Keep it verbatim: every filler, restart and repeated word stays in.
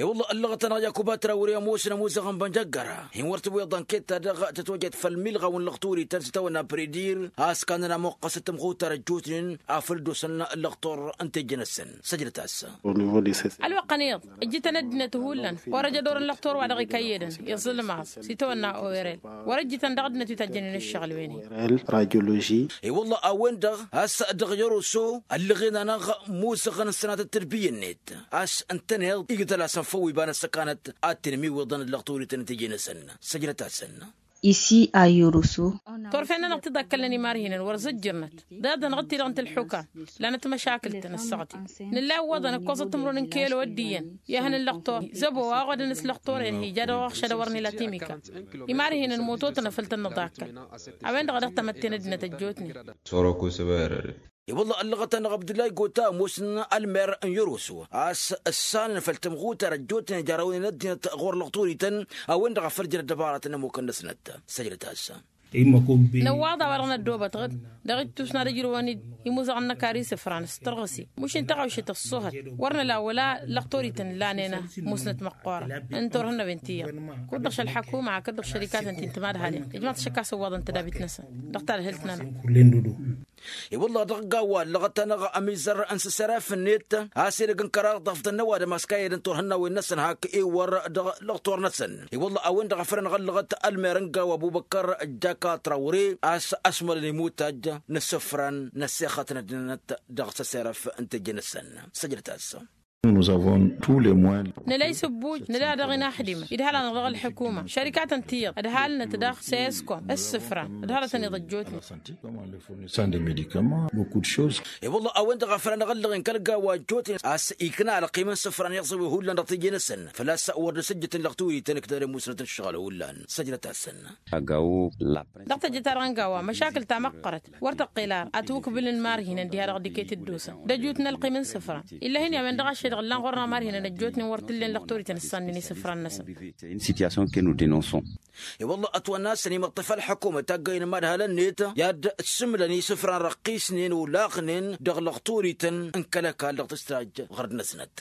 I-wălla ăllăɣăt-anăɣ yakuba trawre ămoosăn ămuzăɣăn bănjăggăra hin-wăr tǝwweḍ ănketad-dăɣ tătwăjăt făll-milɣaw n-lăɣturităn s-itawănna prădir a-s kannăn amoqqăsăt tămɣutar ăjjootnen afăl dd-osăn lăɣtur n-tejje-năsăn. Săjdăt-as. Ălwăqq-ăniḍ ǝjjǝtăn ăddinăt hullan wăr-ăj ădorăn lăɣtur wa dăɣ-ikăyyădăn iẓǝlmaẓ s-itawănna orel wăr-ǝjjǝtăn dăɣ-ăddinăt wi tăjjănen ǝššăɣǝl-wen-hi. I-wălla a-wen-dăɣ a-s dăɣ-yăroso ăllăɣen-anăɣ muzăɣăn ǝssănatăt tǝdbǝyăn-net a-s ǝntăneḍ igdăl-asăn făw iba n-ăssăkanăt ad-t-inmiwǝḍăn d-lăɣturităn n-teje-năsăn. Săjdăt-asăn. Isi a yăroso. Turfen-nănăɣ tiḍakkălnen imarhinăn wăr-zǝjjǝrnăt d-iḍănăɣ-t-i-dăɣ n-tǝlḥuka. Lanăt măšakǝl-tăn ăssaɣăt-i nǝlla iwwăḍăn ǝkkoẓăt timǝrwen n-kelo ăddiiyyăn i-ehăn n-lăɣtor zăbo a ăɣodăn s-lăɣtor-en-hi ja dăɣ-oɣšăd a wăr nǝla timika. Imarhinăn moto-tăn a făl tăn-nǝḍakkăl. A-wen-dăɣ a dăɣ-tamătte n-ăddinăt ăjjootnen. I-wălla ăllăɣăt-anăɣ abdullah igota ămoosăn ălmer n-yăroso a-s ǝssanăn făll-tămɣutar ăjjootnen jarăwnen ăddinăt ɣur-lăɣturităn a-wen-dăɣ a făl jăr ăddăbaratăn n-ămmukăn-năsnăt. Săjdăt-as. Năwwaḍ a-wa-dăɣ năddoobăt ɣǝd dăɣ-ittus n-ad-ǝjrǝwăn-dd imuzăɣăn n-ăkall isǝfran s-tărɣǝse mušin tăɣawšet ăṣṣuhăt wăr nǝla wăla lăɣtorităn lanen musnăt măqqoorăn n-turhǝnnawen ti-iyyăḍ kud-dăɣ šălḥakuma hakd-dăɣ šărikatăn ti n-timadhalen ijmaḍ-t šăkk a-s ǝwwaḍăn tădabit-năsăn. Dăɣ-tadhǝlt-nănăɣ. I-wălla dăɣ-gawa ăllăɣăt-anăɣ ămizăr n-săsăraf-net a-s edăgg n-kăraḍ tafdănna ăwadǝm a-s kayyădăn turhǝnnawen-năsăn hak ewăr dăɣ-lăɣtor-năsăn. I-wălla a-wen-dăɣ a făl ănɣăllăɣăt ălmer n-gawa ăbubăkkăr jaka trawre a-s ăsmălăn imutaj n-asǝfran n-ăssexăt n-ăddinăt dăɣ-săsăraf n-teje-năsăn. Săjdăt-as. Nǝla isǝbbuj nǝla dăɣ-inaxdimăn idhalăn dăɣ-ălḥǝkuma šărikatăn ti-iyyăḍ ǝdhalnăt dăɣ-seskom s-isǝfran ǝdhalătăn iḍăjjotnen. Săndemedikama. Bukut šoz. I-wălla a-wen-dăɣ a făl ănɣăllăɣen kăl-gawa ăjjootnen a-s ikna ălqim n-isǝfran iẓǝwe hullan dăɣ-teje-năsăn făl-a-s wăr dd-sǝjjǝtăn lăɣturităn ǝkdăren musnăt n-ǝššăɣǝl hullan. Săjdăt-asăn. Dăɣ-tejjăt-ta-dăɣ n-gawa măšakǝl ta măqqărăt wăr tăqqel ar ad-t-wǝkbǝlăn imarhinăn diha-dăɣ d-iket dd-osăn d-ăjut n-ălqim n-isǝfran. Ill'-ahin i-a-wen-dăɣ a šedăɣ ǝllan ɣur-năɣ imarhinăn ăjjootnen wăr t-ǝllen lăɣtorităn ǝssannen isǝfran-năsăn. Situation ke nu-denon son. I-wălla ătwănna a-s ănimăṭṭăf ălḥăkumăt taggăyăn imadhalăn-net i-ad-sǝmǝlăn isǝfran răqqisnen olaɣnen dăɣ-lăɣtorităn n-kăl-ăkall dăɣ-tǝsraj ɣărd-năsnăt.